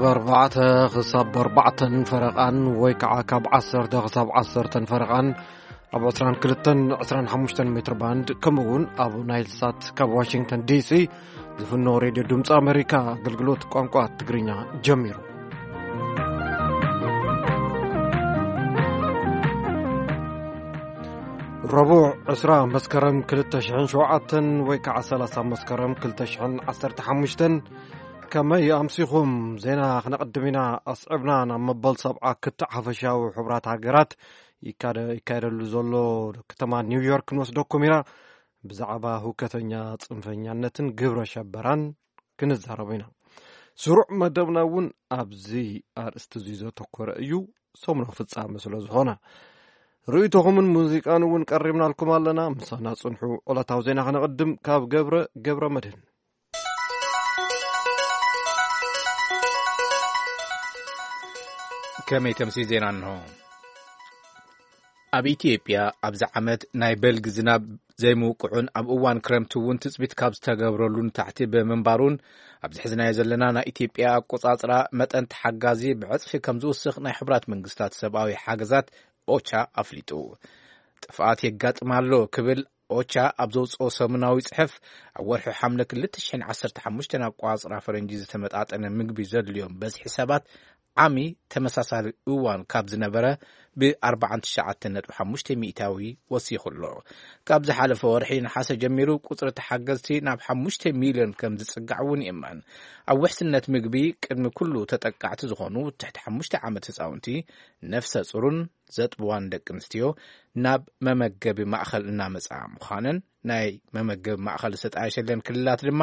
ካብ ኣርባዕተ ክሳብ ኣርባዕተን ፈረቓን ወይ ከዓ ካብ ዓሰርተ ክሳብ ዓሰርተን ፈረቓን ኣብ ዕስራን ክልተን ዕስራን ሓሙሽተን ሜትር ባንድ፣ ከምኡ እውን ኣብ ናይል ሳት ካብ ዋሽንግተን ዲሲ ዝፍኖ ሬድዮ ድምፂ ኣሜሪካ ኣገልግሎት ቋንቋ ትግርኛ ጀሚሩ። ረቡዕ ዕስራ መስከረም ክልተ ሽሕን ሸውዓተን ወይ ከዓ ሰላሳ መስከረም ክልተ ሽሕን ዓሰርተ ሓሙሽተን። ከመይ ኣምሲኹም? ዜና ክነቕድም ኢና። ኣስዕብና ናብ መበል ሰብዓ ክትዕ ሓፈሻዊ ሕቡራት ሃገራት ይካደ-፣ ይካየደሉ ዘሎ ከተማ ኒውዮርክ ንወስደኩም ኢና። ብዛዕባ ሁከተኛ ጽንፈኛነትን ግብረ ሸበራን ክንዛረብ ኢና። ስሩዕ መደብና እውን ኣብዚ ኣርእስቲ እዚ ዘተኮረ እዩ። ሰሙናዊ ፍጻመ ስለ ዝኾነ፣ ርእይቶኹምን ሙዚቃን እውን ቀሪብናልኩም ኣለና። ምሳና ጽንሑ። ዕለታዊ ዜና ከነቕድም ካብ ገብረ፣ ገብረ መድህን። ከመይ ተምሲ ዜና እንሆ። ኣብ ኢትዮጵያ ኣብዚ ዓመት ናይ በልጊ ዝናብ ዘይምውቅዑን ኣብ እዋን ክረምቲ እውን ትጽቢት ካብ ዝተገብረሉ ንታሕቲ ብምንባሩን፣ ኣብዚ ሕዝናዮ ዘለና ናይ ኢትዮጵያ ኣቆጻጽራ መጠን ተሓጋዚ ብዕጽፊ ከም ዝውስኽ ናይ ሕቡራት መንግስታት ሰብኣዊ ሓገዛት ኦቻ ኣፍሊጡ። ጥፍኣት የጋጥም ኣሎ ክብል ኦቻ ኣብ ዘውፅኦ ሰሙናዊ ጽሑፍ፣ ኣብ ወርሒ ሓምለ ክልተ ሽሕን ዓሰርተ ሓሙሽተን ኣቆጻጽራ ፈረንጂ ዝተመጣጠነ ምግቢ ዘድልዮም በዝሒ ሰባት ዓሚ ተመሳሳሊ እዋን ካብ ዝነበረ ብ ኣርባዓን ትሽዓተን ነጥቢ ሓሙሽተ ሚእታዊ ወሲኹ ኣሎ። ካብ ዝሓለፈ ወርሒ ነሓሰ ጀሚሩ ቁጽሪ ተሓገዝቲ ናብ ሓሙሽተ ሚልዮን ከም ዝጽጋዕ እውን ይእመን። ኣብ ውሕስነት ምግቢ ቅድሚ ኩሉ ተጠቃዕቲ ዝኾኑ ትሕቲ ሓሙሽተ ዓመት ህጻውንቲ፣ ነፍሰ ጹርን ዘጥብዋን ደቂ ኣንስትዮ ናብ መመገቢ ማእኸል እናመጻ ምዃነን ናይ መመገቢ ማእኸል ዝተጣየሸለን ክልላት ድማ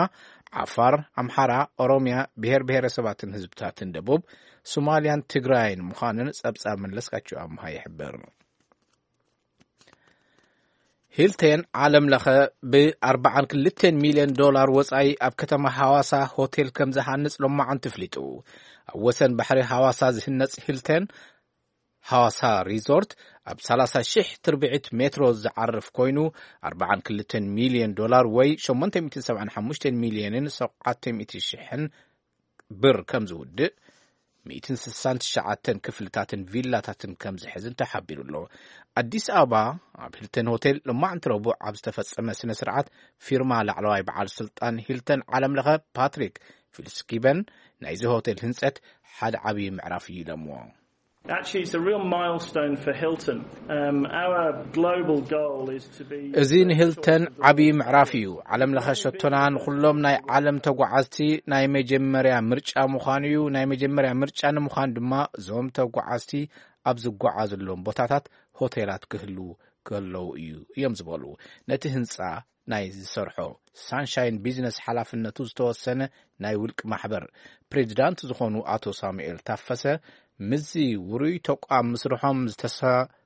ዓፋር፣ ኣምሓራ፣ ኦሮሚያ፣ ብሔር ብሔረሰባትን ህዝብታትን ደቡብ፣ ሶማልያን ትግራይን ምዃነን ጸብጻብ መለስካቸው ኣምሃ ይሕብር። ሂልተን ዓለም ለኸ ብ ኣርባዓን ክልተን ሚልዮን ዶላር ወጻኢ ኣብ ከተማ ሃዋሳ ሆቴል ከም ዝሃንጽ ሎማዓንቲ ኣፍሊጡ። ኣብ ወሰን ባሕሪ ሃዋሳ ዝህነጽ ሂልተን ሃዋሳ ሪዞርት ኣብ ሰላሳ ሽሕ ትርብዒት ሜትሮ ዝዓርፍ ኮይኑ፣ ኣርባዓን ክልተን ሚልዮን ዶላር ወይ ሸሞንተ ሚእትን ሰብዓን ሓሙሽተን ሚልዮንን ሸውዓተ ሚእቲ ሽሕን ብር ከም ዝውድእ፣ ሚእትን ስሳን ትሽዓተን ክፍልታትን ቪላታትን ከም ዝሕዝን ተሓቢሩ ኣሎ። ኣዲስ ኣበባ፣ ኣብ ሂልተን ሆቴል ሎማዕንቲ ረቡዕ ኣብ ዝተፈጸመ ስነ ስርዓት ፊርማ ላዕለዋይ በዓል ስልጣን ሂልተን ዓለም ለኸ ፓትሪክ ፊልስኪበን፣ ናይዚ ሆቴል ህንጸት ሓደ ዓብዪ ምዕራፍ እዩ ኢሎምዎ። Actually, it's a real milestone for Hilton. Um, our global goal is to be እዚ ንሂልተን ዓብዪ ምዕራፍ እዩ። ዓለም ለኸ ሸቶና ንኹሎም ናይ ዓለም ተጓዓዝቲ ናይ መጀመርያ ምርጫ ምዃኑ እዩ። ናይ መጀመርያ ምርጫ ንምዃን ድማ እዞም ተጓዓዝቲ ኣብ ዝጓዓዝሎም ቦታታት ሆቴላት ክህልዉ ከለዉ እዩ እዮም ዝበሉ። ነቲ ህንጻ ናይ ዝሰርሖ ሳንሻይን ቢዝነስ ሓላፍነቱ ዝተወሰነ ናይ ውልቂ ማሕበር ፕሬዚዳንት ዝኾኑ ኣቶ ሳሙኤል ታፈሰ፣ ምስዚ ውሩይ ተቋም ምስርሖም ዝተሰ-፣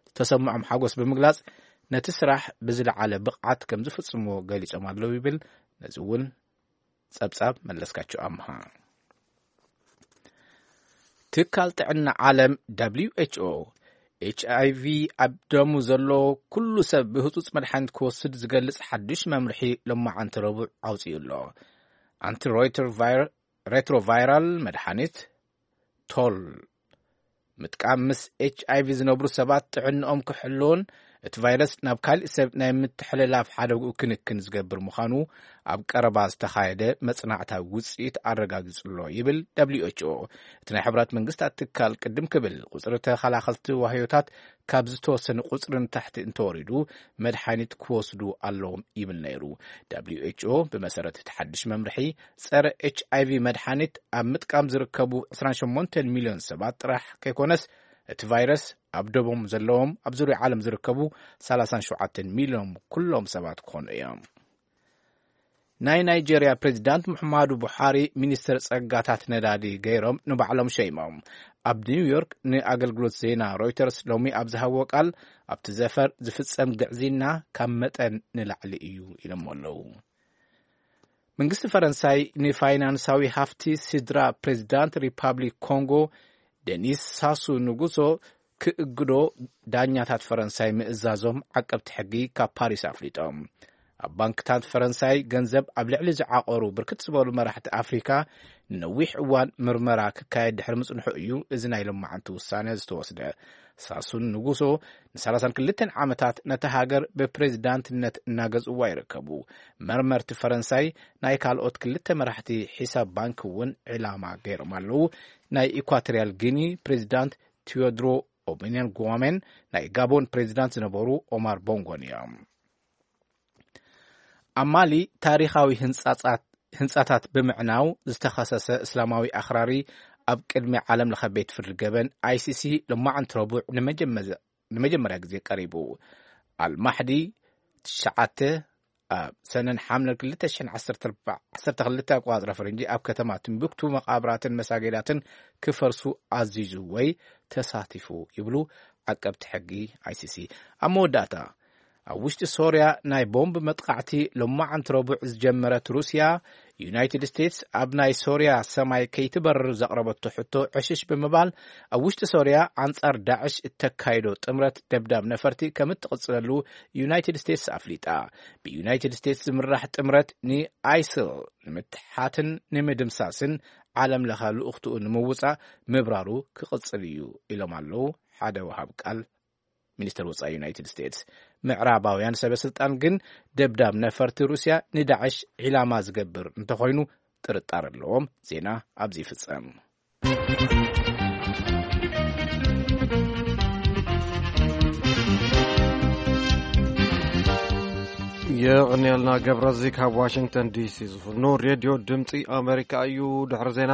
ዝተሰምዖም ሓጎስ ብምግላጽ፣ ነቲ ስራሕ ብዝለዓለ ብቕዓት ከም ዝፍጽምዎ ገሊጾም ኣለዉ ይብል። ነዚ እውን ጸብጻብ መለስካቸው ኣምሃ። ትካል ጥዕና ዓለም ደብሊው ኤች ኦ፣ ኤች ኣይ ቪ ኣብ ደሙ ዘሎ ኩሉ ሰብ ብህጹጽ መድሓኒት ክወስድ ዝገልጽ ሓድሽ መምርሒ ሎማዓንቲ ረቡዕ ኣውጺኡ ኣሎ። ኣንቲ ሮይተር ቫይረ-፣ ሬትሮቫይራል መድሓኒት ቶል ምጥቃም ምስ ኤች ኣይ ቪ ዝነብሩ ሰባት ጥዕንኦም ክሕልውን እቲ ቫይረስ ናብ ካሊእ ሰብ ናይ ምትሕልላፍ ሓደግኡ ክንክን ዝገብር ምዃኑ ኣብ ቀረባ ዝተኻየደ መጽናዕታዊ ውጽኢት ኣረጋጊጹ ኣሎ ይብል ደብሊው ኤች ኦ። እቲ ናይ ሕብራት መንግስታት ትካል ቅድም ክብል ቁጽሪ ተኸላኸልቲ ዋህዮታት ካብ ዝተወሰነ ቁጽሪ ንታሕቲ እንተወሪዱ መድሓኒት ክወስዱ ኣለዎም ይብል ነይሩ። ደብሊው ኤች ኦ ብመሰረት እቲ ሓድሽ መምርሒ ጸረ ኤች ኣይ ቪ መድሓኒት ኣብ ምጥቃም ዝርከቡ ዕስራን ሸሞንተን ሚልዮን ሰባት ጥራሕ ከይኮነስ፣ እቲ ቫይረስ ኣብ ደቦም ዘለዎም፣ ኣብ ዙርያ ዓለም ዝርከቡ ሰላሳን ሸውዓተን ሚልዮን ኩሎም ሰባት ክኾኑ እዮም። ናይ ናይጄርያ ፕሬዚዳንት ሙሐማዱ ቡሓሪ ሚኒስትር ጸጋታት ነዳዲ ገይሮም ንባዕሎም ሸይሞም። ኣብ ኒውዮርክ ንኣገልግሎት ዜና ሮይተርስ ሎሚ ኣብ ዝሃብዎ ቃል፣ ኣብቲ ዘፈር ዝፍጸም ግዕዝይና ካብ መጠን ንላዕሊ እዩ ኢሎሞ ኣለዉ። መንግስቲ ፈረንሳይ ንፋይናንሳዊ ሃፍቲ ስድራ ፕሬዚዳንት ሪፓብሊክ ኮንጎ ደኒስ ሳሱ ንጉሶ ክእግዶ ዳኛታት ፈረንሳይ ምእዛዞም ዓቀብቲ ሕጊ ካብ ፓሪስ ኣፍሊጦም። ኣብ ባንክታት ፈረንሳይ ገንዘብ ኣብ ልዕሊ ዝዓቐሩ ብርክት ዝበሉ መራሕቲ ኣፍሪካ ንነዊሕ እዋን ምርመራ ክካየድ ድሕሪ ምጽንሑ እዩ እዚ ናይ ሎማዓንቲ ውሳነ ዝተወስደ። ሳሱን ንጉሶ ን32 ዓመታት ነታ ሃገር ብፕሬዚዳንትነት እናገዝእዋ ይርከቡ። መርመርቲ ፈረንሳይ ናይ ካልኦት ክልተ መራሕቲ ሒሳብ ባንክ እውን ዕላማ ገይሮም ኣለዉ። ናይ ኢኳቶሪያል ጊኒ ፕሬዚዳንት ቲዮድሮ ኦቢኒያን ጉዋሜን ናይ ጋቦን ፕሬዚዳንት ዝነበሩ ኦማር ቦንጎን እዮም። ኣብ ማሊ ታሪኻዊ ህንጻጻት ህንጻታት ብምዕናው ዝተኸሰሰ እስላማዊ ኣኽራሪ ኣብ ቅድሚ ዓለም ለኸ ቤት ፍርዲ ገበን ኣይሲሲ ሎማዓንቲ ረቡዕ ንመጀመ- ንመጀመርያ ግዜ ቀሪቡ። ኣልማሕዲ ትሽዓተ ኣብ ሰነን ሓምለን ክልተ ሽሕን ዓሰርተ ኣርባዕተ ዓሰርተ ክልተ ኣቆጻጽራ ፈረንጂ ኣብ ከተማ ትምብክቱ መቓብራትን መሳጌዳትን ክፈርሱ ኣዚዙ ወይ ተሳቲፉ ይብሉ ዓቀብቲ ሕጊ ኣይሲሲ። ኣብ መወዳእታ ኣብ ውሽጢ ሶርያ ናይ ቦምብ መጥቃዕቲ ሎማዓንቲ ረቡዕ ዝጀመረት ሩስያ፣ ዩናይትድ ስቴትስ ኣብ ናይ ሶርያ ሰማይ ከይትበርር ዘቕረበቶ ሕቶ ዕሽሽ ብምባል ኣብ ውሽጢ ሶርያ ኣንጻር ዳዕሽ እተካይዶ ጥምረት ደብዳብ ነፈርቲ ከም እትቕጽለሉ ዩናይትድ ስቴትስ ኣፍሊጣ። ብዩናይትድ ስቴትስ ዝምራሕ ጥምረት ንኣይስል ንምትሓትን ንምድምሳስን ዓለም ለኸ ልኡኽትኡ ንምውጻእ ምብራሩ ክቕጽል እዩ ኢሎም ኣለዉ ሓደ ወሃብ ቃል ሚኒስተር ወጻኢ ዩናይትድ ስቴትስ። ምዕራባውያን ሰበ ስልጣን ግን ደብዳብ ነፈርቲ ሩስያ ንዳዕሽ ዒላማ ዝገብር እንተኾይኑ ጥርጣር ኣለዎም። ዜና ኣብዚ ይፍጸም። የቕንየልና ገብረዚ ካብ ዋሽንግተን ዲሲ ዝፍኖ ሬድዮ ድምፂ ኣሜሪካ እዩ። ድሕሪ ዜና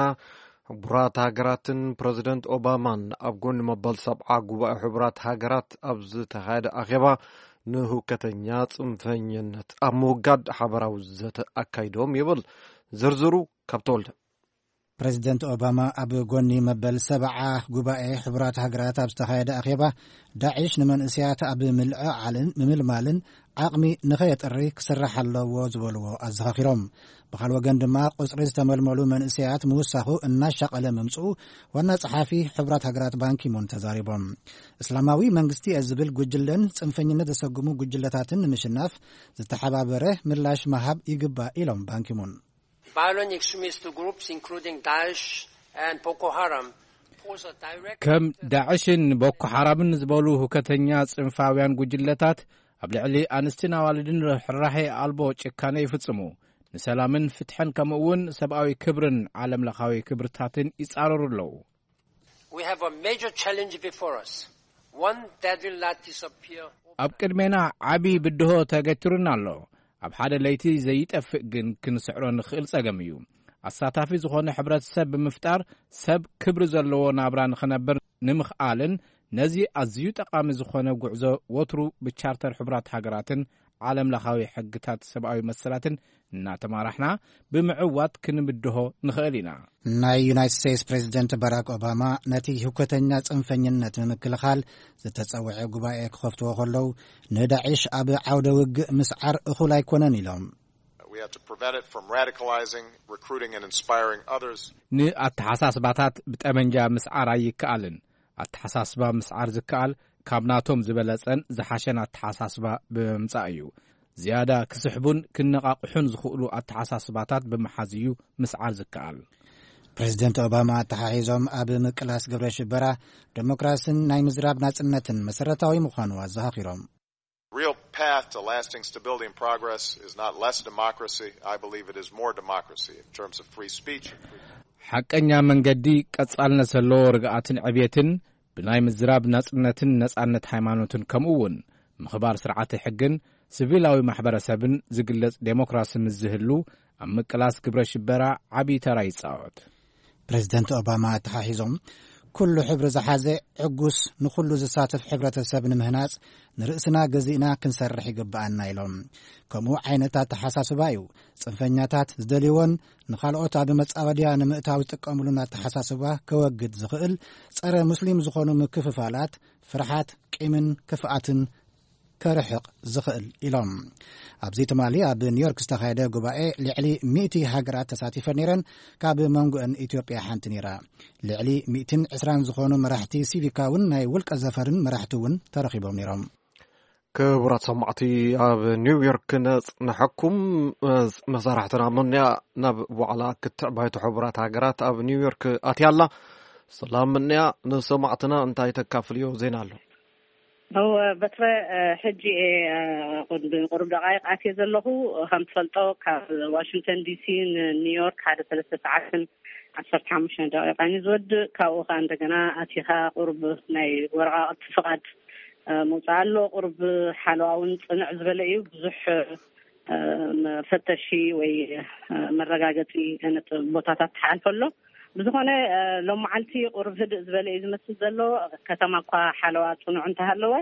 ሕቡራት ሃገራትን ፕረዚደንት ኦባማን ኣብ ጎኒ መበል ሰብዓ ጉባኤ ሕቡራት ሃገራት ኣብ ዝተኻየደ ኣኼባ ንህውከተኛ ጽንፈኝነት ኣብ ምውጋድ ሓበራዊ ዘተ ኣካይዶም ይብል። ዝርዝሩ ካብ ተወልደ። ፕረዚደንት ኦባማ ኣብ ጎኒ መበል ሰብዓ ጉባኤ ሕቡራት ሃገራት ኣብ ዝተኻየደ ኣኼባ ዳዒሽ ንመንእሰያት ኣብ ምልዕዓልን ምምልማልን ዓቕሚ ንኸየጥሪ ክስራሕ ኣለዎ ዝበልዎ ኣዘኻኺሮም። ብኻል ወገን ድማ ቁጽሪ ዝተመልመሉ መንእሰያት ምውሳኹ እናሻቐለ ምምጽኡ ዋና ጸሓፊ ሕቡራት ሃገራት ባንኪሙን ተዛሪቦም። እስላማዊ መንግስቲ እየ ዝብል ጉጅለን ጽንፈኝነት ዘሰጉሙ ጉጅለታትን ንምሽናፍ ዝተሓባበረ ምላሽ መሃብ ይግባእ ኢሎም ባንኪሙን። Violent extremist groups including Daesh and Boko Haram pose a direct ከም ዳዕሽን ቦኮ ሓራምን ዝበሉ ሁከተኛ ጽንፋውያን ጉጅለታት ኣብ ልዕሊ ኣንስትን ኣዋልድን ርሕራሄ ኣልቦ ጭካነ ይፍጽሙ። ንሰላምን ፍትሕን ከምኡ እውን ሰብኣዊ ክብርን ዓለም ለኻዊ ክብርታትን ይጻረሩ ኣለዉ። We have a major challenge before us. One that will not disappear. ኣብ ቅድሜና ዓቢ ብድሆ ተገትሩና ኣሎ። ኣብ ሓደ ለይቲ ዘይጠፍእ ግን ክንስዕሮ ንኽእል ጸገም እዩ። ኣሳታፊ ዝኾነ ሕብረተሰብ ብምፍጣር ሰብ ክብሪ ዘለዎ ናብራ ንኽነብር ንምኽኣልን ነዚ ኣዝዩ ጠቓሚ ዝኾነ ጉዕዞ ወትሩ ብቻርተር ሕቡራት ሃገራትን ዓለም ለኻዊ ሕግታት ሰብኣዊ መሰላትን እናተማራሕና ብምዕዋት ክንብድሆ ንኽእል ኢና። ናይ ዩናይትድ ስቴትስ ፕሬዚደንት ባራክ ኦባማ ነቲ ህውከተኛ ጽንፈኝነት ንምክልኻል ዝተጸውዐ ጉባኤ ክኸፍትዎ ከለዉ ንዳዒሽ ኣብ ዓውደ ውግእ ምስዓር እኹል ኣይኮነን ኢሎም። We have to prevent it from radicalizing, recruiting, and inspiring others. ንኣተሓሳስባታት ብጠመንጃ ምስዓር ኣይከኣልን። ኣተሓሳስባ ምስዓር ዝከኣል ካብ ናቶም ዝበለጸን ዝሓሸን ኣተሓሳስባ ብምምጻእ እዩ። ዝያዳ ክስሕቡን ክነቓቕሑን ዝኽእሉ ኣተሓሳስባታት ብምሓዝ እዩ ምስዓር ዝከኣል። ፕሬዚደንት ኦባማ ኣተሓሒዞም ኣብ ምቅላስ ግብረ ሽበራ ዴሞክራስን ናይ ምዝራብ ናጽነትን መሰረታዊ ምዃኑ ኣዘኻኺሮም። Real path to lasting stability and progress is not less democracy. I believe it is more democracy in terms of free speech. ሓቀኛ መንገዲ ቀጻልነት ዘለዎ ርግኣትን ዕብየትን ብናይ ምዝራብ ናጽነትን ነጻነት ሃይማኖትን ከምኡ እውን ምኽባር ስርዓተ ሕግን ሲቪላዊ ማሕበረሰብን ዝግለጽ ዴሞክራሲ ምስ ዝህሉ ኣብ ምቅላስ ግብረ ሽበራ ዓብዪ ተራ ይጻወት። ፕሬዚደንት ኦባማ ኣተሓሒዞም ኩሉ ሕብሪ ዝሓዘ ዕጉስ ንኹሉ ዝሳተፍ ሕብረተሰብ ንምህናጽ ንርእስና ገዚእና ክንሰርሕ ይግብኣና ኢሎም። ከምኡ ዓይነት ኣተሓሳስባ እዩ ጽንፈኛታት ዝደልይዎን ንኻልኦት ኣብ መጻወድያ ንምእታው ዝጥቀምሉን ኣተሓሳስባ ከወግድ ዝኽእል ጸረ ሙስሊም ዝኾኑ ምክፍፋላት ፍርሓት ቂምን ክፍኣትን ከርሕቕ ዝኽእል ኢሎም። ኣብዚ ትማሊ ኣብ ኒውዮርክ ዝተኻየደ ጉባኤ ልዕሊ ሚእቲ ሃገራት ተሳቲፈን ነይረን። ካብ መንጎአን ኢትዮጵያ ሓንቲ ነይራ። ልዕሊ ሚእትን ዕስራን ዝኾኑ መራሕቲ ሲቪካውን ናይ ውልቀ ዘፈርን መራሕቲ እውን ተረኺቦም ነይሮም። ክቡራት ሰማዕቲ፣ ኣብ ኒውዮርክ ነጽንሐኩም። መሳርሕትና ሞንያ ናብ ዋዕላ ክትዕ ባይቶ ሕቡራት ሃገራት ኣብ ኒውዮርክ ኣትያ ኣላ። ሰላም ምንያ፣ ንሰማዕትና እንታይ ተካፍልዮ ዜና ኣሎ? እወ፣ በትረ፣ እ፣ ሕጂ እየ፣ እ፣ ቁድ-፣ ቁሩብ ደቃይቕ ኣትየ ዘለኹ። ከም ትፈልጦ፣ ካብ ዋሽንግተን ዲ ሲ ንኒውዮርክ ሓደ ሰለስተ ሰዓትን ዓሰርተ ሓሙሽተ ደቂቃን እዩ ዝወድእ። ካብኡ ኸዓ እንደገና ኣቲኻ ቁሩብ ናይ ወረቓቕቲ ፍቓድ፣ እ፣ ምውጻእ ኣሎ። ቁሩብ ሓለዋ እውን ጽንዕ ዝበለ እዩ። ብዙሕ፣ እ፣ መፈተሺ ወይ፣ እ፣ መረጋገጺ ነጥ-፣ ቦታታት ትሓልፈ ኣሎ። ብዝኾነ፣ እ፣ ሎም መዓልቲ ቁሩብ ህድእ ዝበለ እዩ ዝመስል ዘሎ። ከተማ እኳ ሓለዋ ጽኑዕ እንተሃለወ፣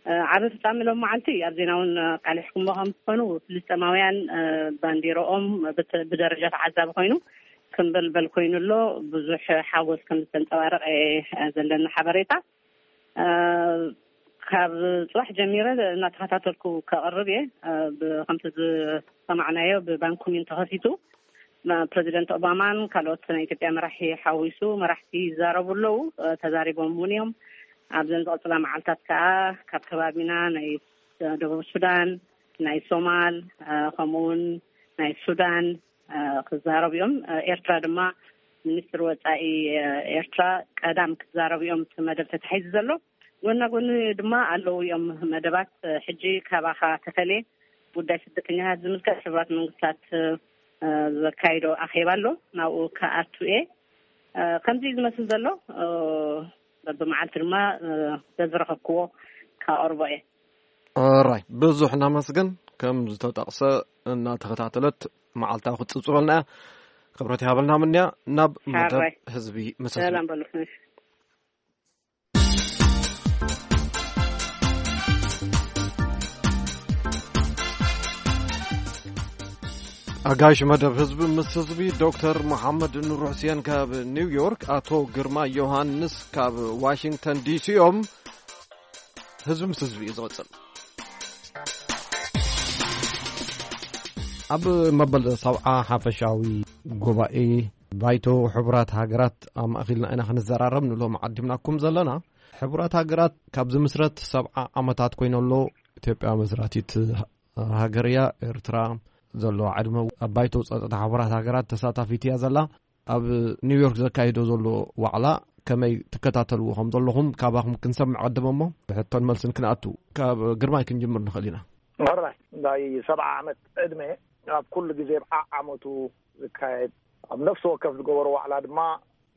እ፣ ዓቢ ፍጻመ ሎም መዓልቲ ኣብ ዜና እውን ኣቃሊሕኩሞ ከም ትኾኑ፣ ፍልስጤማውያን፣ እ፣ ባንዲርኦም ብት-፣ ብደረጃ ተዓዛቢ ኮይኑ ክምበልበል ኮይኑ ኣሎ። ብዙሕ ሓጎስ ከም ዝተንጸባረቐ፣ እ፣ ዘለኒ ሓበሬታ። እ፣ ካብ ጽባሕ ጀሚረ እናተኸታተልኩ ከቕርብ እየ። እ፣ ብ-፣ ከምቲ ዝሰማዕናዮ ብባንኩሚን ተኸፊቱ፣ ፕረዚደንት ኦባማን ካልኦት ናይ ኢትዮጵያ መራሒ ሓዊሱ መራሕቲ ይዛረቡ ኣለዉ፣ እ፣ ተዛሪቦም እውን እዮም። ኣብዘን ዝቐጽላ መዓልታት ከኣ ካብ ከባቢና ናይ ደቡብ ሱዳን፣ ናይ ሶማል፣ እ፣ ከምኡ እውን ናይ ሱዳን፣ እ፣ ክዛረቡ እዮም። እ፣ ኤርትራ ድማ ሚኒስትሪ ወጻኢ፣ እ፣ ኤርትራ ቀዳም ክዛረቡ እዮም እቲ መደብ ተታሒዙ ዘሎ። ጎና ጎኒ ድማ ኣለዉ እዮም መደባት። እ፣ ሕጂ ካባኻ ተፈልየ ጉዳይ ስደተኛታት ዝምልከት ሕቡራት መንግስታት፣ እ፣ ዘካይዶ ኣኼባ ኣሎ። ናብኡ ክኣቱ እየ። እ፣ ከምዚ እዩ ዝመስል ዘሎ። እ፣ በብመዓልቲ ድማ፣ እ፣ በዝረኸብክዎ ካቐርቦ እየ። ኦራይ፣ ብዙሕ እናመስግን። ከም ዝተጠቕሰ እናተኸታተለት መዓልታ ክትጽብጽበልና እያ። ክብረት ይሃበልና ምንያ። ናብ መደብ ሓራይ። ህዝቢ ምስ ህዝቢ። ሰላም በሉ። እሺ። ኣጋይሽ መደብ ህዝቢ ምስ ህዝቢ ዶክተር መሓመድ ኑር ሕስየን ካብ ኒውዮርክ፣ ኣቶ ግርማ ዮሃንስ ካብ ዋሽንግተን ዲሲ እዮም። ህዝቢ ምስ ህዝቢ እዩ ዝቕጽል። ኣብ መበል ሰብዓ ሓፈሻዊ ጉባኤ ባይቶ ሕቡራት ሃገራት ኣማእኺልና ኢና ክንዘራረብ ንሎም ዓዲምናኩም ዘለና። ሕቡራት ሃገራት ካብ ዝምስረት ሰብዓ ዓመታት ኮይኑ ኣሎ። ኢትዮጵያ መስራቲት ሃገር እያ። ኤርትራ ዘለዋ ዕድመ ኣብ ባይቶ ጸጥታ ሕቡራት ሃገራት ተሳታፊት እያ ዘላ። ኣብ ኒውዮርክ ዘካይዶ ዘሎ ዋዕላ ከመይ ትከታተልዎ ከም ዘለኹም ካባኹም ክንሰምዕ ቀድም እሞ፣ ብሕቶን መልስን ክንኣቱ። ካብ ግርማይ ክንጅምር ንኽእል ኢና። ሕራይ፣ ናይ ሰብዓ ዓመት ዕድመ ኣብ ኩሉ ግዜ ኣብ ዓዓመቱ ዝካየድ፣ ኣብ ነፍሲ ወከፍ ዝገበሮ ዋዕላ ድማ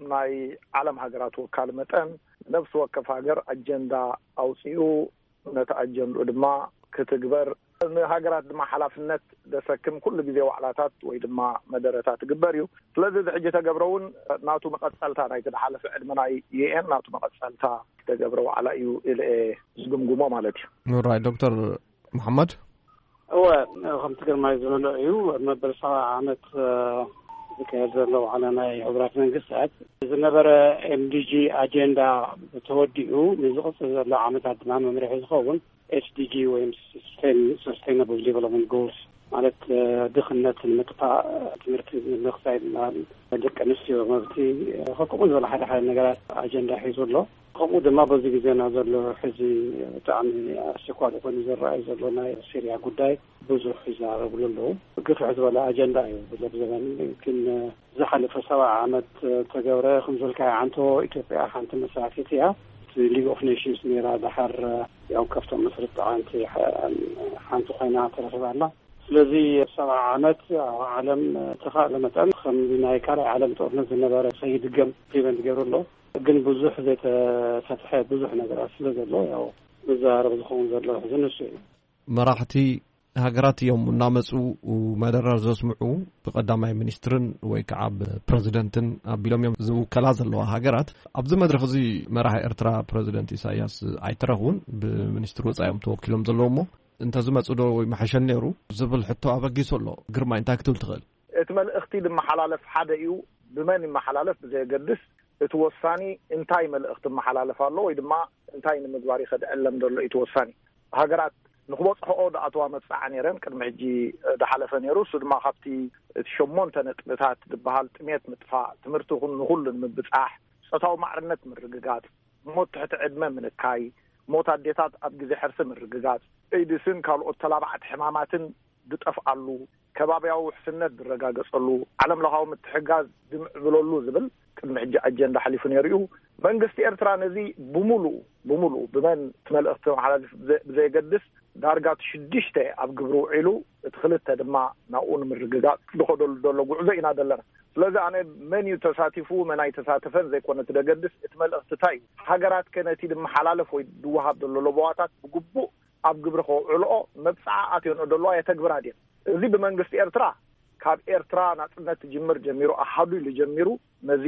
ናይ ዓለም ሃገራት ወካል መጠን፣ ነፍሲ ወከፍ ሃገር ኣጀንዳ ኣውጺኡ፣ ነቲ ኣጀንድኡ ድማ ክትግበር፣ ንሃገራት ድማ ሓላፍነት ዘሰክም ኩሉ ግዜ ዋዕላታት ወይ ድማ መደረታት ትግበር እዩ። ስለዚ እዚ ሕጂ ተገብረ እውን ናቱ መቐጸልታ ናይቲ ዝሓለፈ ዕድመ ናይ ዩ ኤን ናቱ መቐጸልታ ዝተገብረ ዋዕላ እዩ ኢለ እየ ዝግምግሞ ማለት እዩ። ራይ ዶክተር መሓመድ። እወ፣ ከምቲ ግርማይ ዝበሎ እዩ። መበል ሰብዓ ዓመት፣ እ፣ ዝካየድ ዘሎ ዋዕላ ናይ ሕቡራት መንግስታት ዝነበረ ኤምዲጂ ኣጀንዳ ተወዲኡ ንዝቕጽል ዘሎ ዓመታት ድማ መምርሒ ዝኸውን ኤስዲጂ ወይ ሰስቴን-፣ ሰስቴናብል ዴቨሎፕመንት ጎልስ ማለት፣ እ፣ ድኽነት ንምጥፋእ፣ ትምህርቲ ንምኽሳይ፣ ደቂ ኣንስትዮ መብቲ፣ እ፣ ከምኡ ዝበለ ሓደ ሓደ ነገራት ኣጀንዳ ሒዙ ኣሎ። ከምኡ ድማ በዚ ግዜና ዘሎ ሕዚ ብጣዕሚ ኣስቸኳሊ ኮይኑ ዝረኣይ ዘሎ ናይ ሲርያ ጉዳይ ብዙሕ ይዛረብሉ ኣለዉ። ግፍሕ ዝበለ ኣጀንዳ እዩ። ብዘብ ዘበን ግን ዝሓለፈ ሰብዓ ዓመት ተገብረ፣ ከም ዝበልካዮ ዓንቶ ኢትዮጵያ ሓንቲ መስራቲት እያ። እቲ ሊግ ኦፍ ኔሽንስ ነይራ፣ ደሓር ያው ካብቶም መስረቲ ሓንቲ፣ ሓንቲ ኮይና ተረኺባ ኣላ። ስለዚ ሰብዓ ዓመት ኣብ ዓለም ተኻእለ መጠን ከም ናይ ካልኣይ ዓለም ጦርነት ዝነበረ ከይድገም ፕሪቨንት ገብሩ ኣሎ። ግን ብዙሕ ዘይተፈትሐ ብዙሕ ነገራት ስለ ዘሎ ያው መዘራረቢ ዝኸውን ዘሎ ሕዚ ንሱ እዩ። መራሕቲ ሃገራት እዮም እናመፁ መደረር ዘስምዑ። ብቀዳማይ ሚኒስትርን ወይ ከዓ ብፕረዚደንትን ኣቢሎም እዮም ዝውከላ ዘለዋ ሃገራት። ኣብዚ መድረኽ እዚ መራሒ ኤርትራ ፕረዚደንት ኢሳያስ ኣይተረኽቡን። ብሚኒስትር ወፃኢ እዮም ተወኪሎም ዘለዉ እሞ እንተዝመፁ ዶ ይምሓሸኒ ነይሩ ዝብል ሕቶ ኣበጊሱ ኣሎ። ግርማይ እንታይ ክትብል ትኽእል? እቲ መልእኽቲ ዝመሓላለፍ ሓደ እዩ። ብመን ይመሓላለፍ ብዘየገድስ፣ እቲ ወሳኒ እንታይ መልእኽቲ ይመሓላለፍ ኣሎ ወይ ድማ እንታይ ንምግባር ይኸድ ዕለም ዘሎ እዩ እቲ ወሳኒ። ሃገራት ንክበፅሕኦ ዝኣተዋ መብፅዓ ነይረን ቅድሚ ሕጂ ዝሓለፈ ነይሩ። እሱ ድማ ካብቲ እቲ ሸሞንተ ነጥብታት ዝበሃል ጥሜት ምጥፋእ፣ ትምህርቲ ይኹን ንኹሉ ንምብፃሕ፣ ፆታዊ ማዕርነት ምርግጋፅ፣ ሞት ትሕቲ ዕድመ ምንካይ፣ ሞት ኣዴታት ኣብ ግዜ ሕርሲ ምርግጋጽ፣ ኤድስን ካልኦት ተላባዕቲ ሕማማትን ዝጠፍኣሉ፣ ከባብያዊ ውሕስነት ዝረጋገጸሉ፣ ዓለም ለኻዊ ምትሕጋዝ ዝምዕብለሉ ዝብል ቅድሚ ሕጂ ኣጀንዳ ሓሊፉ ነይሩ እዩ። መንግስቲ ኤርትራ ነዚ ብምሉኡ፣ ብምሉኡ ብመን እቲ መልእኽቲ መሓላልፍ ብዘ-፣ ብዘየገድስ፣ ዳርጋ እቲ ሽዱሽተ ኣብ ግብሪ ውዒሉ፣ እቲ ክልተ ድማ ናብኡ ንምርግጋጽ ዝኸደሉ ዘሎ ጉዕዞ ኢና ዘለና። ስለዚ ኣነ መን እዩ ተሳቲፉ፣ መን ኣይተሳተፈን ዘይኮነ እቲ ደገድስ፣ እቲ መልእኽቲ እንታይ እዩ? ሃገራት ከ ነቲ ዝመሓላለፍ ወይ ዝወሃብ ዘሎ ለበዋታት ብግቡእ ኣብ ግብሪ ከውዕልኦ መብጽዓ ኣትዮንኦ ዘለዋ የተግብራ ድየን? እዚ ብመንግስቲ ኤርትራ ካብ ኤርትራ ናጽነት ትጅምር ጀሚሩ፣ ኣሃዱ ኢሉ ጀሚሩ፣ ነዚ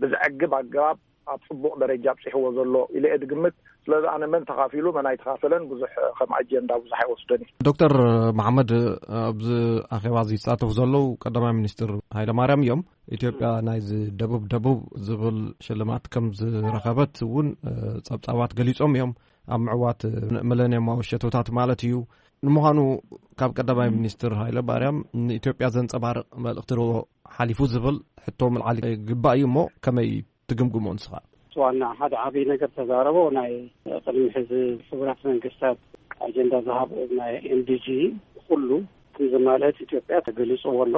ብዘዕግብ ኣገባብ ኣብ ጽቡቕ ደረጃ ኣብጺሕዎ ዘሎ ኢለ እየ ዝግምት። ስለዚ ኣነ መን ተኻፊሉ መን ኣይተኻፈለን ብዙሕ ከም ኣጀንዳ ብዙሕ ኣይወስደን እዩ። ዶክተር መሓመድ፣ ኣብዚ ኣኼባ እዚ ዝሳተፉ ዘለዉ ቀዳማይ ሚኒስትር ሃይለማርያም እዮም። ኢትዮጵያ ናይዚ ደቡብ ደቡብ ዝብል ሽልማት ከም ዝረኸበት እውን ጸብጻባት ገሊጾም እዮም። ኣብ ምዕዋት ሚለንየማዊ ሸቶታት ማለት እዩ። ንምዃኑ ካብ ቀዳማይ ሚኒስትር ሃይለ ማርያም ንኢትዮጵያ ዘንጸባርቕ መልእኽቲ ዶ ሓሊፉ ዝብል ሕቶ ምልዓል ይግባእ እዩ እሞ ከመይ ትግምግሞ ንስኻ? ዋና ሓደ ዓብዪ ነገር ተዛረቦ ናይ ቅድሚ ሕዚ ሕቡራት መንግስታት ኣጀንዳ ዝሃብ ናይ ኤምዲጂ ኩሉ ከም ዘማልአት ኢትዮጵያ ተገሊጽዎ ኣሎ።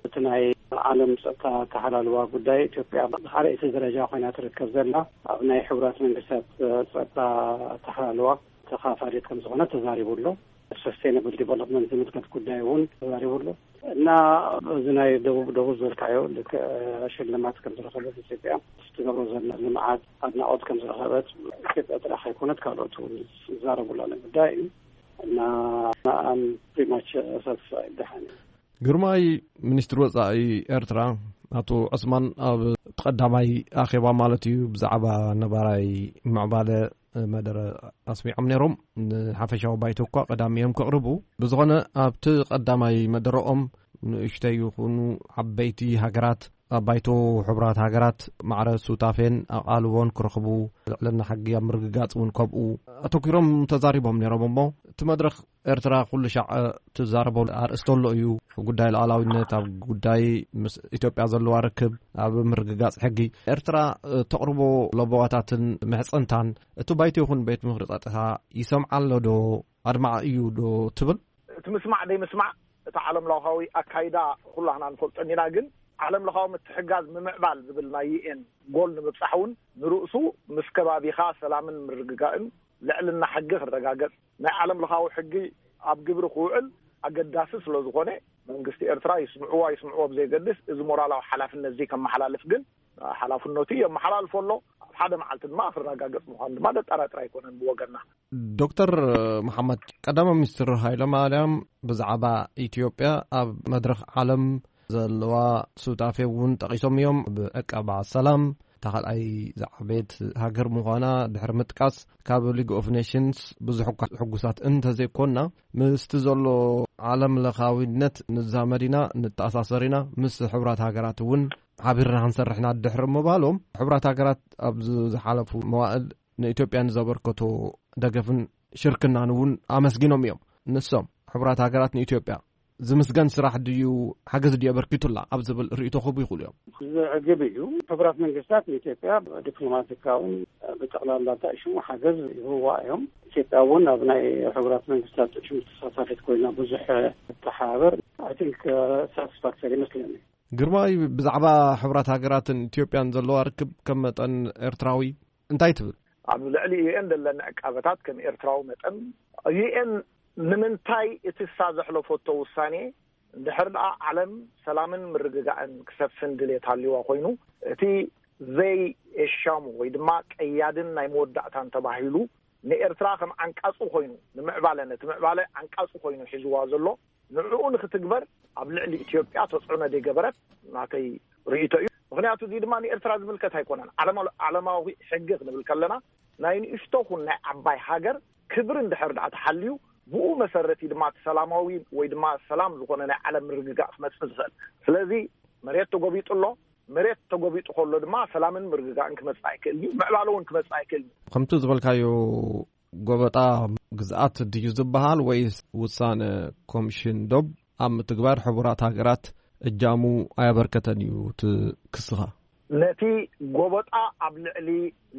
እቲ ናይ ዓለም ጸጥታ ኣተሓላልዋ ጉዳይ ኢትዮጵያ ብኻልኣይቲ ደረጃ ኮይና ትርከብ ዘላ ኣብ ናይ ሕቡራት መንግስታት ጸጥታ ኣተሓላልዋ ተኻፋሊት ከም ዝኾነ ተዛሪቡ ኣሎ። ሰስቴናብል ዲቨሎፕመንት ዝምልከት ጉዳይ እውን ተዛሪቡ ኣሎ። እና እዚ ናይ ደቡብ ደቡብ ዝበልካዮ ልክዕ ሽልማት ከም ዝረኸበት ኢትዮጵያ ትገብሮ ዘላ ልምዓት ኣድናቖት ከም ዝረኸበት ኢትዮጵያ ጥራሕ ኣይኮነት ካልኦት እውን ዝዛረቡላ ጉዳይ እዩ። እና ኣም ፕሪማች ሳትስፋይድ ደሓን እዩ። ግርማይ፣ ሚኒስትሪ ወጻኢ ኤርትራ ኣቶ ዑስማን ኣብ ቀዳማይ ኣኼባ ማለት እዩ ብዛዕባ ነባራይ ምዕባለ መደረ ኣስሚዖም ነይሮም። ንሓፈሻዊ ባይቶ እኳ ቀዳሚ እዮም ክቕርቡ። ብዝኾነ ኣብቲ ቀዳማይ መደረኦም ንእሽተይ ይኹኑ ዓበይቲ ሃገራት ኣብ ባይቶ ሕቡራት ሃገራት ማዕረ ሱታፌን ኣቓልቦን ክረኽቡ፣ ልዕልና ሕጊ ኣብ ምርግጋጽ እውን ከምኡ ኣተኲሮም ተዛሪቦም ነይሮም። እሞ እቲ መድረኽ ኤርትራ ኩሉ ሻዕ ትዛረቦ ኣርእስቲ ኣሎ እዩ። ጉዳይ ሉዓላዊነት፣ ኣብ ጉዳይ ምስ ኢትዮጵያ ዘለዋ ርክብ፣ ኣብ ምርግጋጽ ሕጊ ኤርትራ ተቕርቦ ለበዋታትን ምሕጽንታን እቲ ባይቶ ይኹን ቤት ምኽሪ ጸጥታ ይሰምዓ ኣሎ ዶ? ኣድማዒ እዩ ዶ ትብል? እቲ ምስማዕ ደይ ምስማዕ እቲ ዓለም ለኻዊ ኣካይዳ ኩላህና ንፈልጦ ኢና። ግን ዓለም ለኻዊ ምትሕጋዝ ምምዕባል ዝብል ናይ ዩኤን ጎል ንምብጻሕ እውን ንርእሱ ምስ ከባቢኻ ሰላምን ምርግጋእን ልዕልና ሕጊ ክረጋገጽ፣ ናይ ዓለም ለኻዊ ሕጊ ኣብ ግብሪ ክውዕል ኣገዳሲ ስለ ዝኾነ፣ መንግስቲ ኤርትራ ይስምዕዎ ኣይስምዕዎ ብዘይገድስ፣ እዚ ሞራላዊ ሓላፍነት እዚ ከመሓላልፍ ግን ሓላፍነቱ የመሓላልፎ ኣሎ። ኣብ ሓደ መዓልቲ ድማ ክረጋገጽ ምዃኑ ድማ ዘጠራጥር ኣይኮነን ብወገንና። ዶክተር መሓመድ፣ ቀዳማይ ሚኒስትር ሃይለ ማርያም ብዛዕባ ኢትዮጵያ ኣብ መድረኽ ዓለም ዘለዋ ሱታፌ እውን ጠቒሶም እዮም። ብዕቃባ ሰላም እታ ካልኣይ ዝዓበየት ሃገር ምዃና ድሕሪ ምጥቃስ፣ ካብ ሊግ ኦፍ ኔሽንስ ብዙሕ እኳ ሕጉሳት እንተዘይኮንና፣ ምስቲ ዘሎ ዓለም ለኻዊነት ንዛመድ ኢና፣ ንተኣሳሰር ኢና፣ ምስ ሕቡራት ሃገራት እውን ሓቢርና ክንሰርሕ ኢና ድሕሪ ምባሎም፣ ሕቡራት ሃገራት ኣብዚ ዝሓለፉ መዋእል ንኢትዮጵያ ንዘበርከቶ ደገፍን ሽርክናን እውን ኣመስጊኖም እዮም። ንሶም፣ ሕቡራት ሃገራት ንኢትዮጵያ ዝምስገን ስራሕ ድዩ፣ ሓገዝ ድዩ ኣበርኪቱላ ኣብ ዝብል ርእይቶ ክህቡ ይኽእሉ እዮም። ዘዕግብ እዩ። ሕቡራት መንግስታት ንኢትዮጵያ ዲፕሎማቲካውን ብጠቕላላ እንታይ ሽሙ ሓገዝ ይህብዋ እዮም። ኢትዮጵያ እውን ኣብ ናይ ሕቡራት መንግስታት ሽሙ ተሳታፊት ኮይና ብዙሕ ተሓባበር፣ ኣይ ቲንክ፣ ሳቲስፋክተሪ ይመስለኒ። ግርማይ፣ ብዛዕባ ሕቡራት ሃገራትን ኢትዮጵያን ዘለዋ ርክብ ከም መጠን ኤርትራዊ እንታይ ትብል? ኣብ ልዕሊ ዩኤን ዘለኒ ዕቃበታት ከም ኤርትራዊ መጠን፣ ዩኤን ንምንታይ እቲ እሳ ዘሕለፈቶ ውሳኔ፣ እንድሕር ደኣ ዓለም ሰላምን ምርግጋእን ክሰፍን ድሌት ሃልይዋ ኮይኑ፣ እቲ ዘይሻሙ ወይ ድማ ቀያድን ናይ መወዳእታን ተባሂሉ ንኤርትራ ከም ዓንቃጹ ኮይኑ ንምዕባለ፣ ነቲ ምዕባለ ዓንቃጹ ኮይኑ ሒዝዋ ዘሎ፣ ንዕኡ ንክትግበር ኣብ ልዕሊ ኢትዮጵያ ተጽዕኖ ዘይገበረት ናተይ ርእይቶ እዩ። ምኽንያቱ እዚ ድማ ንኤርትራ ዝምልከት ኣይኮነን። ዓለማ-፣ ዓለማዊ ሕጊ ክንብል ከለና ናይ ንእሽቶ ኹን ናይ ዓባይ ሃገር ክብሪ እንድሕር ደኣ ተሓልዩ፣ ብኡ መሰረት እዩ ድማ እቲ ሰላማዊ ወይ ድማ ሰላም ዝኾነ ናይ ዓለም ምርግጋእ ክመጽእ ዝኽእል። ስለዚ መሬት ተጎቢጡ ኣሎ። መሬት ተጎቢጡ ከሎ ድማ ሰላምን ምርግጋእን ክመጽእ ኣይክእልን እዩ። ምዕባለ እውን ክመጽእ ኣይክእልን እዩ። ከምቲ ዝበልካዮ፣ ጎበጣ ግዝኣት ድዩ ዝበሃል ወይስ ውሳነ ኮሚሽን ዶብ ኣብ ምትግባር ሕቡራት ሃገራት እጃሙ ኣየበርከተን እዩ እቲ ክስኻ? ነቲ ጎበጣ ኣብ ልዕሊ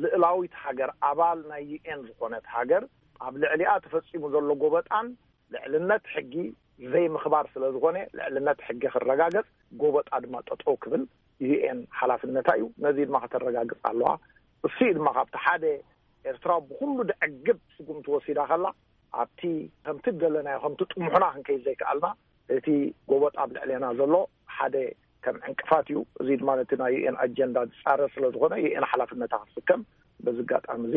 ልእላዊት ሃገር፣ ኣባል ናይ ዩ ኤን ዝኾነት ሃገር፣ ኣብ ልዕሊኣ ተፈጺሙ ዘሎ ጎበጣን ልዕልነት ሕጊ ዘይምኽባር ስለ ዝኾነ፣ ልዕልነት ሕጊ ክረጋገጽ፣ ጎበጣ ድማ ጠጠው ክብል ዩ ኤን ሓላፍነታ እዩ። ነዚ ድማ ከተረጋግጽ ኣለዋ። እሱ እዩ ድማ ካብቲ ሓደ ኤርትራ ብኹሉ ደዕግብ ስጉምቲ ወሲዳ ከላ፣ ኣብቲ ከምቲ ደለናዮ፣ ከምቲ ጥሙሕና ክንከይድ ዘይከኣልና፣ እቲ ጎበጥ ኣብ ልዕሌና ዘሎ ሓደ ከም ዕንቅፋት እዩ። እዚ ድማ ነቲ ናይ ዩ ኤን ኣጀንዳ ዝጻረር ስለ ዝኾነ፣ ዩ ኤን ሓላፍነታ ክትስከም በዚ ኣጋጣሚ እዚ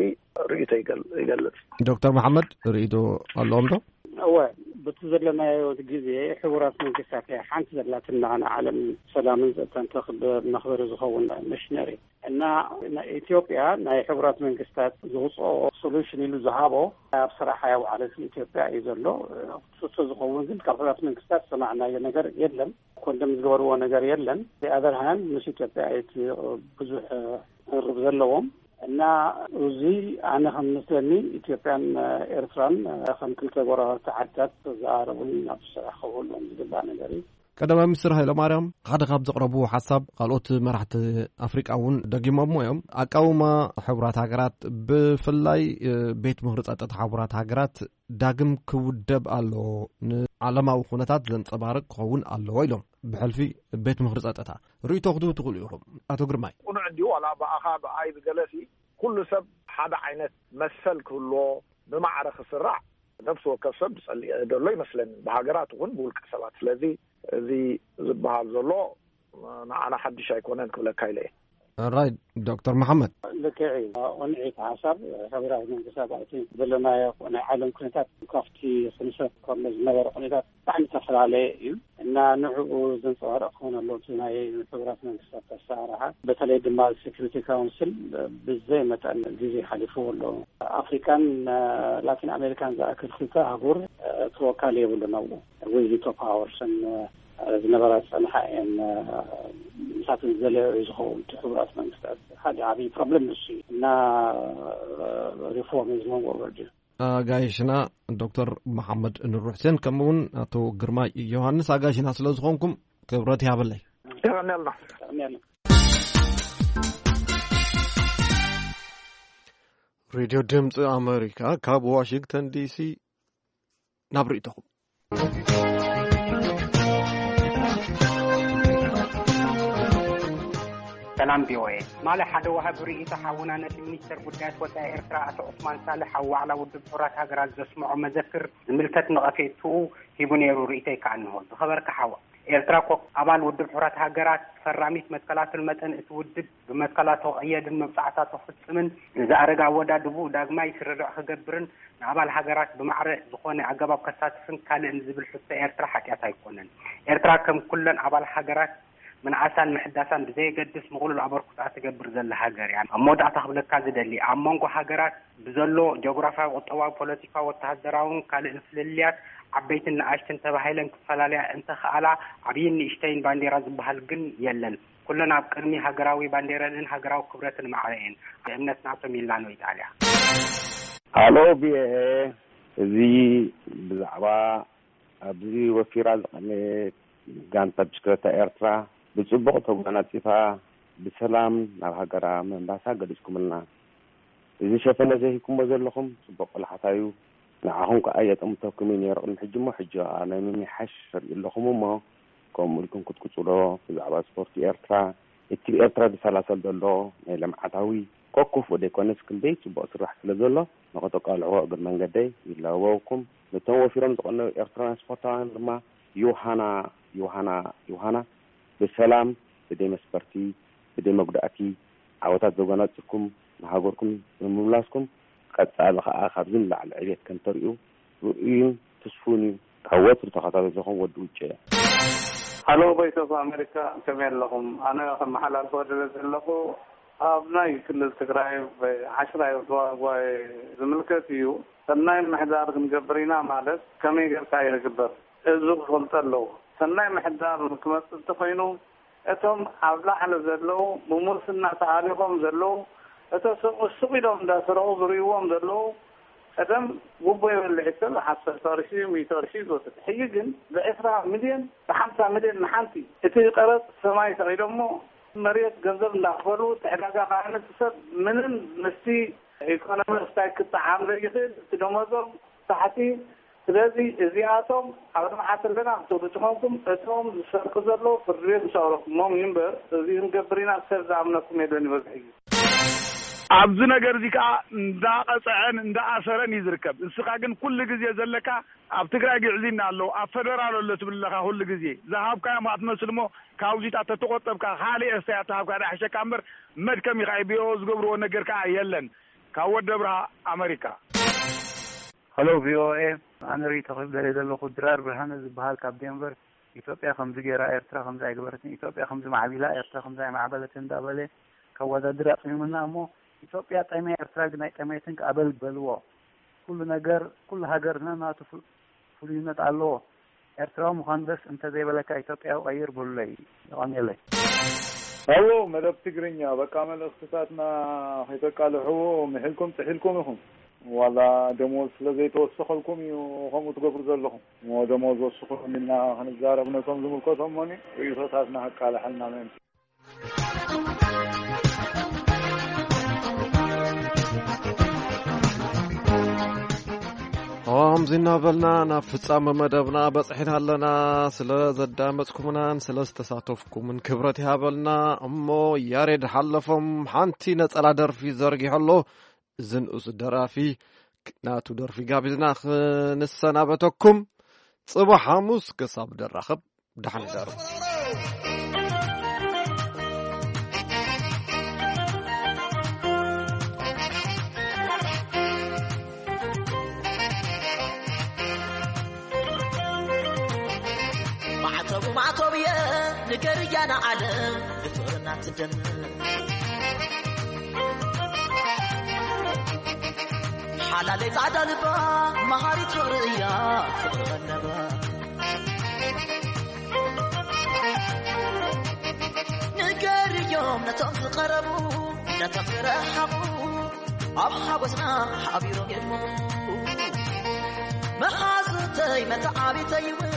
ርእይቶ ይገል-፣ ይገልጽ። ዶክተር መሓመድ፣ ርእይቶ ኣለዎም ዶ? እወ፣ በቲ ዘለናዮ ግዜ ሕቡራት መንግስታት እያ ሓንቲ ዘላትና ንዓለም ሰላምን ጸጥታን ተኽብር መኽበሪ ዝኸውን መሽነሪ። እና ናይ ኢትዮጵያ ናይ ሕቡራት መንግስታት ዝውፅኦ ሶሉሽን ኢሉ ዝሃቦ ኣብ ስራሕ ኣየውዓለትን ኢትዮጵያ እዩ ዘሎ። ክፍቶ ዝኸውን ግን ካብ ሕቡራት መንግስታት ዝሰማዕናዮ ነገር የለን። ኮንደም ዝገበርዎ ነገር የለን። ኣዘርሃን ምስ ኢትዮጵያ እቲ ብዙሕ ርብ ዘለዎም እና እዚ ኣነ ከም መስለኒ ኢትዮጵያን ኤርትራን ከም ክልተ ጎረባብቲ ዓድታት ዘኣረቡን ናብ ስራሕ ክውዕሉ ዝግባእ ነገር እዩ። ቀዳማይ ሚኒስትር ሃይለማርያም ሓደ ካብ ዘቕረብዎ ሓሳብ፣ ካልኦት መራሕቲ ኣፍሪቃ እውን ደጊሞሞ እዮም። ኣቃውማ ሕቡራት ሃገራት፣ ብፍላይ ቤት ምኽሪ ጸጥታ ሕቡራት ሃገራት ዳግም ክውደብ ኣለዎ፣ ንዓለማዊ ኩነታት ዘንጸባርቕ ክኸውን ኣለዎ ኢሎም። ብሕልፊ ቤት ምኽሪ ጸጥታ ርእይቶ ክትህቡ ትኽእሉ ኢኹም። ኣቶ ግርማይ። ቅኑዕ እንዲሁ ዋላ ብኣኻ ብኣይ ብገለሲ ኩሉ ሰብ ሓደ ዓይነት መሰል ክህልዎ ብማዕረ ክስራዕ ነፍሲ ወከፍ ሰብ ዝጸልእ ዘሎ ይመስለኒ፣ ብሃገራት ይኹን ብውልቀ ሰባት። ስለዚ እዚ ዝበሃል ዘሎ ንዓና ሓድሽ ኣይኮነን ክብለካ ኢለ እየ። ራይት። ዶክተር መሓመድ። ልክዕ እዩ። ቅኑዕ ሓሳብ ሕቡራት መንግስታት ኣብቲ ዘለናዮ ናይ ዓለም ኩነታት ካብቲ ክንሰብ ከሎ ዝነበረ ኩነታት ብጣዕሚ ዝተፈላለየ እዩ እና ንዕኡ ዘንፀባርቕ ክኾን ኣለዎ። እቲ ናይ ሕቡራት መንግስታት ኣሰራርሓ በተለይ ድማ ሴኩሪቲ ካውንስል ብዘይ መጠን ግዜ ሓሊፍዎ ኣሎ። ኣፍሪካን ላቲን ኣሜሪካን ዝኣክል ክልተ ኣህጉር ተወካሊ የብሉን ኣብኡ። ዊቶ ፓወርስ ዝነበራ ዝፀንሓ እየን። ምሳት ዝደለዮ እዩ ዝኸውን። እቲ ሕቡራት መንግስታት ሓደ ዓብዪ ፕሮብለም ንሱ እዩ እና ሪፎርም is long overdue። ኣጋይሽና ዶክተር መሓመድ ኑር ሕሴን ከምኡ እውን ኣቶ ግርማይ ዮሃንስ ኣጋይሽና ስለ ዝኾንኩም ክብረት ይሃበለይ። የቐንየልና። ሬድዮ ድምፂ ኣመሪካ ካብ ዋሽንግተን ዲሲ ናብ ርእይቶኹም። ሰላም ቪኦኤ። ማለ ሓደ ወሃቢ ርእይቶ ሓውና ነቲ ሚኒስተር ጉዳያት ወጻኢ ኤርትራ ኣቶ ዑስማን ሳልሕ ኣብ ዋዕላ ውድብ ሕቡራት ሃገራት ዘስምዖ መዘክር ዝምልከት ነቐፌትኡ ሂቡ ነይሩ። ርእይቶይ ከኣ እንሆ። ዝኸበርካ ሓዋ፣ ኤርትራ እኮ ኣባል ውድብ ሕቡራት ሃገራት ፈራሚት መትከላትን መጠን እቲ ውድብ ብመትከላቱ ክቕየድን መብጻዕታቱ ክፍጽምን ንዝኣረገ ኣወዳድብኡ ዳግማይ ስርርዕ ክገብርን ንኣባል ሃገራት ብማዕረ ዝኾነ ኣገባብ ከሳትፍን ካልእን ዝብል ሕቶ ኤርትራ ሓጢኣት ኣይኮነን። ኤርትራ ከም ኩለን ኣባል ሃገራት ምንኣሳን ምሕዳሳን ብዘየገድስ ምቕሉል ኣበርኩታ ትገብር ዘላ ሃገር እያ። ኣብ መወዳእታ ክብለካ ዝደሊ፣ ኣብ መንጎ ሃገራት ብዘሎ ጂኦግራፍያዊ፣ ቁጠባዊ፣ ፖለቲካዊ፣ ወተሃደራውን ካልእን ፍልልያት ዓበይትን ንኣሽትን ተባሂለን ክፈላለያ እንተኸኣላ፣ ዓብይን ንእሽተይን ባንዴራ ዝበሃል ግን የለን። ኩለን ኣብ ቅድሚ ሃገራዊ ባንዴረንን ሃገራዊ ክብረትን ማዕረ እየን። ብእምነት ናቶ ሚላኖ ኢጣልያ። ሃሎ ቪኦኤ፣ እዚ ብዛዕባ ኣብዚ ወፊራ ዝቐነየት ጋንታ ብሽክለታ ኤርትራ ብጽቡቕ ተጓናጺፋ ብሰላም ናብ ሃገራ ምምላሳ ገሊጽኩምልና። እዚ ሸፈነ ዘሂብኩሞ ዘለኹም ጽቡቕ ቆላሕታ እዩ። ንዓኹም ከኣ የጠምተኩም እዩ ነይሩ ቅድሚ ሕጂ እሞ፣ ሕጂ ከኣ ናይ ምምሕያሽ ርእዩ ኣለኹም እሞ፣ ከምኡ ኢልኩም ክትቅጽሎ። ብዛዕባ ስፖርቲ ኤርትራ፣ እቲ ብኤርትራ ዝሰላሰል ዘሎ ናይ ልምዓታዊ ኮኩፍ ዘይኮነስ ክንደይ ጽቡቕ ስራሕ ስለ ዘሎ፣ ንኸተቃልዕዎ እግር መንገደይ ይላበወኩም። ነቶም ወፊሮም ዝቐነዩ ኤርትራውያን ስፖርታውያን ድማ፣ ዮሃና፣ ዮሃና፣ ዮሃና፣ ብሰላም፣ ብደይ መስፈርቲ፣ ብደይ መጉዳእቲ፣ ዓወታት ዘጎናጽፍኩም፣ ንሃገርኩም ብምምላስኩም፣ ቀጻሊ ኸኣ ካብዚ ንላዕሊ ዕቤት ከም ተርእዩ ርኡይን ትስፉን እዩ። ካብ ወትሩ ተኸታተልትኹም ወዲ ውጭ እየ። ሃሎ ቮይስ ኦፍ ኣሜሪካ፣ ከመይ ኣለኹም? ኣነ ከመሓላልፎ ደልየ ዘለኹ፣ ኣብ ናይ ክልል ትግራይ ዓሽራይ ጓ-፣ ጓይ ዝምልከት እዩ። ሰናይ ምሕዳር ክንገብር ኢና ማለት ከመይ ጌርካ እዩ ዝግበር? ህዝቢ ክፈልጦ ኣለዎ። ሰናይ ምሕዳር ክመጽእ እንተኾይኑ፣ እቶም ኣብ ላዕሊ ዘለዉ ብሙስና ተሃሊኾም ዘለዉ፣ እቶ ሱቕ ሱቕ ኢሎም እንዳሰረቑ ዝርእይዎም ዘለዉ፣ ቀደም ጉቦ ይበልዕ ሰብ ሓምሳ ቅርሺ፣ ሚእቲ ቅርሺ ዝወስድ። ሕጂ ግን ብዕስራ ሚልዮን፣ ብሓምሳ ሚልዮን ንሓንቲ። እቲ ቀረጽ ሰማይ ሰቒሎሞ፣ መሬት ገንዘብ እንዳኽፈሉ፣ እቲ ዕዳጋ ከዓ ነቲ ሰብ ምንም ምስቲ ኢኮኖሚ ስታይ ክጠዓም ዘይኽእል፣ እቲ ደሞዞም ታሕቲ። ስለዚ እዚኣቶም ኣብ ልምዓት ኣለና ክትብሉ ትኾንኩም፣ እቶም ዝሰርቁ ዘለዉ ፍርዲ ቤት ምስ ኣቕረብኩሞም እዩ እምበር፣ እዚ ክንገብር ኢና ሰብ ዝኣምነኩም የለን ይበዝሕ እዩ። ኣብዚ ነገር እዚ ከዓ እንዳቐፅዐን እንዳኣሰረን እዩ ዝርከብ። ንስኻ ግን ኩሉ ግዜ ዘለካ ኣብ ትግራይ ግዕዝይና ኣሎ፣ ኣብ ፈደራል ኣሎ ትብል ኣለኻ። ኩሉ ግዜ ዝሃብካዮም ኣትመስል እሞ፣ ካብዚታት ተተቆጠብካ ካልእ ኣስተያየት ተሃብካ ዳሕሸካ እምበር፣ መድከም ኢኻ። ብኦ ዝገብርዎ ነገር ከዓ የለን። ካብ ወደ ብርሃ ኣመሪካ። ሄሎ ቪ ኦ ኤ፣ ኣነ ርኢቶ ክህብ ደልየ ዘለኹ፣ ድራር ብርሃነ ዝበሃል ካብ ዴንቨር። ኢትዮጵያ ከምዚ ገይራ፣ ኤርትራ ከምዚ ኣይገበረትን፣ ኢትዮጵያ ከምዚ ማዕቢላ፣ ኤርትራ ከምዚ ኣይማዕበለትን እንዳበለ ከወዳድር ኣጽሚሙና እሞ፣ ኢትዮጵያ ጠምያ፣ ኤርትራ ግን ኣይጠመየትን ከኣ በል በልዎ። ኩሉ ነገር፣ ኩሉ ሃገር ነናቱ ፍሉ-፣ ፍሉይነት ኣለዎ። ኤርትራዊ ምዃን ደስ እንተዘይበለካ፣ ኢትዮጵያዊ ቀይር በሉለይ። የቐንየለይ። ሄሎ፣ መደብ ትግርኛ፣ በቃ መልእኽትታትና ከይተቃልሕዎ ምሒልኩም ጥሒልኩም ኢኹም። ዋላ ደሞዝ ስለ ዘይተወሰኸልኩም እዩ ከምኡ ትገብሩ ዘለኹም። እሞ ደሞዝ ወስኹ ኢልና ክንዛረብ ነቶም ዝምልከቶም እሞኒ ርእይቶታትና ከቃልሐልና ምእንቲ። ከምዚ እናበልና ናብ ፍጻመ መደብና በጽሒና ኣለና። ስለ ዘዳመጽኩምናን ስለ ዝተሳተፍኩምን ክብረት ይሃበልና። እሞ ያሬድ ሓለፎም ሓንቲ ነጸላ ደርፊ ዘርጊሑ ኣሎ። እዚ ንኡስ ደራፊ ናቱ ደርፊ ጋቢዝና ክንሰናበተኩም። ጽባሕ ሓሙስ ክሳብ ደራኸብ ደሓን እደሩ። ማዕተቡ ማዕተብየ ንገርያ ንዓለም ብፍቕርና ትደምር። ሓላለይ ጻዕዳ ልባ መሃሪት ፍቕሪ እያ ፍቕሪ ቀለባ። ንገርዮም ነቶም ዝቐረቡ ነቶም ዝረሓቑ ኣብ ሓጎስና ሓቢሮም የድምቑ። መሓዙተይ መተዓቢተይ እውን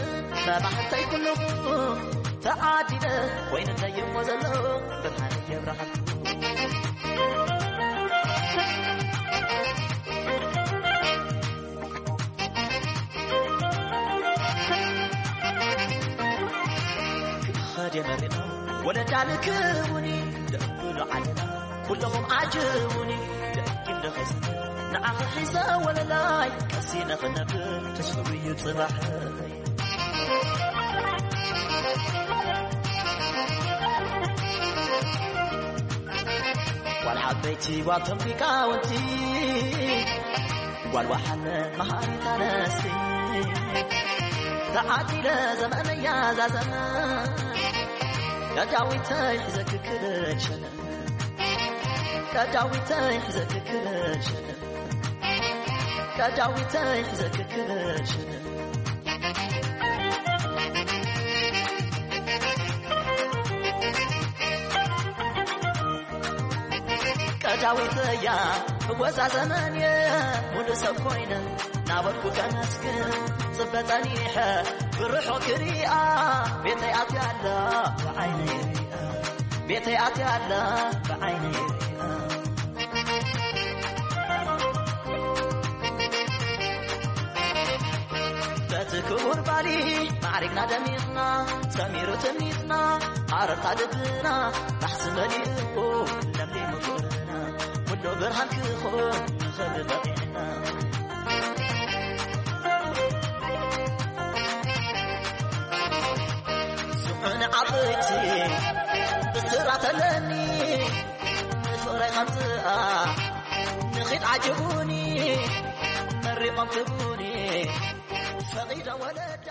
መባሕተይ ኩልኹም ተዓዲለ ኮይንለይ እሞ ዘሎ ብርሃን የብርሃልኩም። ክኸድ የመሪና ወለዳ ልክቡኒ ደብሉ ዓለና ኩለኹም ዓጅቡኒ ደጊም ደኸይስ ንዓኺ ሒዘ ወለላይ ቀሲነ ክነብር ተስፍኡ እዩ ጽባሕ። ጓል ዓበይቲ ጓል ቶም ሊቃውንቲ ጓል ወሓለ መሃሪት ኣነስቲ ተዓዲለ ዘመነያ ዛዘመ ቀዳዊተይ ሕዘ ክክብል ሸነ ቀዳዊተይ ሕዘ ክክብል ሸነ ቀዳዊተይ ሕዘ ክክብል ሸነ ቀዳዊት እያ እወዛ ዘመን እየ ሙሉ ሰብ ኮይነ ናበልኩ ከመስግን ጽበ ጸኒሐ ብርሖ ክሪኣ ቤተይ ኣትያ ኣላ ብዓይነይ ሪኣ ቤተይ ኣትያ ኣላ ብዓይነይ ሪኣ በቲ ክቡር ባሊ ማዕሪግና ደሚቕና ሰሚሩ ትምኒትና ኣረታ ልብና ናሕሲ መሊእዎ ለምሊሙ ፍቕርና ኩሉ ብርሃን ክኾን ንኽብሪ በቒዕና ስዑን ዓበይቲ ብስራት ኣለኒ ንፍቕረይ ከምፅኣ ንኺድ ዓጅቡኒ መሪቖም ክቡኒ ፈቒደ ወለዳ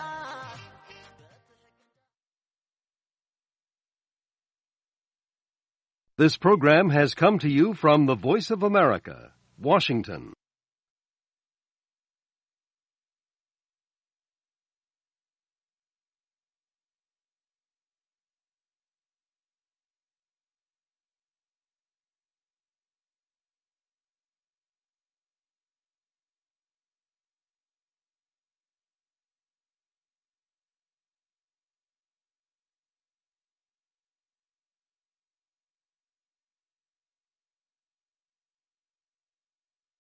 This program has come to you from the Voice of America, Washington.